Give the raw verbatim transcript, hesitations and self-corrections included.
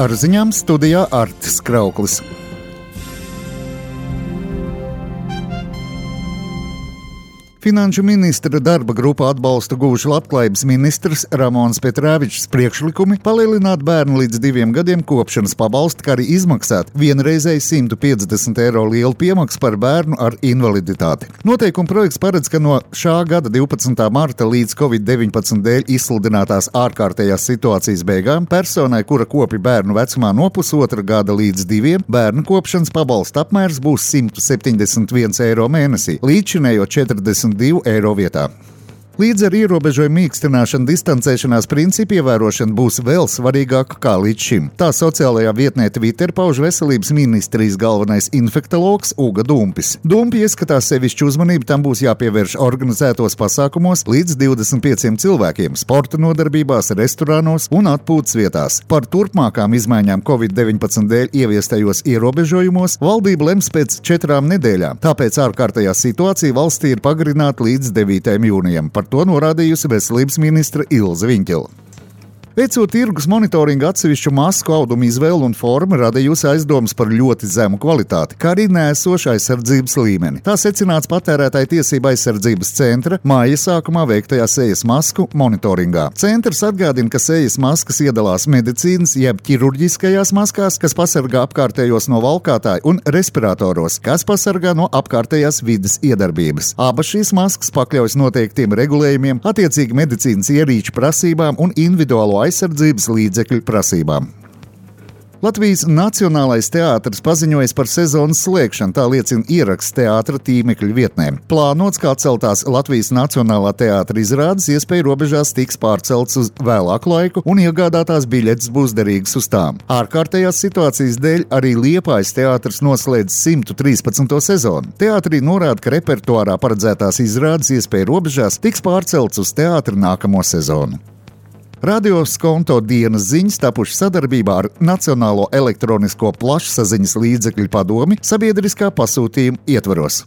Ar ziņām studijā Artis Krauklis. Finanšu ministra darba grupa atbalstu guvuši Labklājības ministrs Ramons Petrēvičs priekšlikumi palielināt bērnu līdz diviem gadiem kopšanas pabalstu, kā arī izmaksāt vienreizēji simt piecdesmit eiro lielu piemaksu par bērnu ar invaliditāti. Noteikuma projekts paredz, ka no šā gada divpadsmitā marta līdz covid deviņpadsmit dēļ izsludinātās ārkārtējās situācijas beigām personai, kura kopja bērnu vecumā no pusotra gada līdz diviem, bērnu kopšanas pabalsta apmērs būs simt septiņdesmit viens eiro mēnesī, līdzinējo četrdesmit divu eiro vietā. Līdz ar ierobežojumu mīkstināšanu distancēšanās principu ievērošana būs vēl svarīgāka kā līdz šim. Tā sociālajā vietnē Twitter pauž veselības ministrijas galvenais infektologs Uga Dumpis. Dumpi ieskatās sevišķu uzmanību tam būs jāpievērš organizētos pasākumos līdz divdesmit pieciem cilvēkiem, sporta nodarbībās, restorānos un atpūtas vietās. Par turpmākām izmaiņām covid deviņpadsmit dēļ ieviestajos ierobežojumos valdība lems pēc četrām nedēļām, tāpēc ārkārtējā situācija valstī ir pagarināta līdz devītajam jūnijam. Par to norādījusi veselības ministre Ilze Viņķele. Veicot tirgus monitoringu atsevišķu masku audumu izvēlu un formu, radījusi aizdomas par ļoti zemu kvalitāti, kā arī nēsošu aizsardzības līmeni. Tā secināts Patērētāju tiesību aizsardzības centra māja sākumā veiktajā sejas masku monitoringā. Centrs atgādina, ka sejas maskas iedalās medicīnas jeb ķirurģiskajās maskās, kas pasargā apkārtējos no valkātāju, un respiratoros, kas pasargā no apkārtējās vides iedarbības. Abas šīs maskas pakļaujas noteiktiem regulējumiem, attiecīgi medicīnas ierīču prasībām un individuālo aizsardzības līdzekļu prasībām. Latvijas Nacionālais teātris paziņojas par sezonas slēgšanu, tā liecina ieraksts teātra tīmekļa vietnē. Plānots, kā atceltās Latvijas Nacionālā teātra izrādes, iespēja robežās tiks pārcelts uz vēlāku laiku un iegādātās biļetes būs derīgas uz tām. Ārkārtējās situācijas dēļ arī Liepājas teātris noslēdz simt trīspadsmito sezonu. Teātrī norāda, ka repertuārā paredzētās izrādes iespēja robežās tiks pārcelts uz teātra nākamo sezonu. Radio Skonto dienas ziņas tapuši sadarbībā ar Nacionālo elektronisko plašsaziņas līdzekļu padomi sabiedriskā pasūtījuma ietvaros.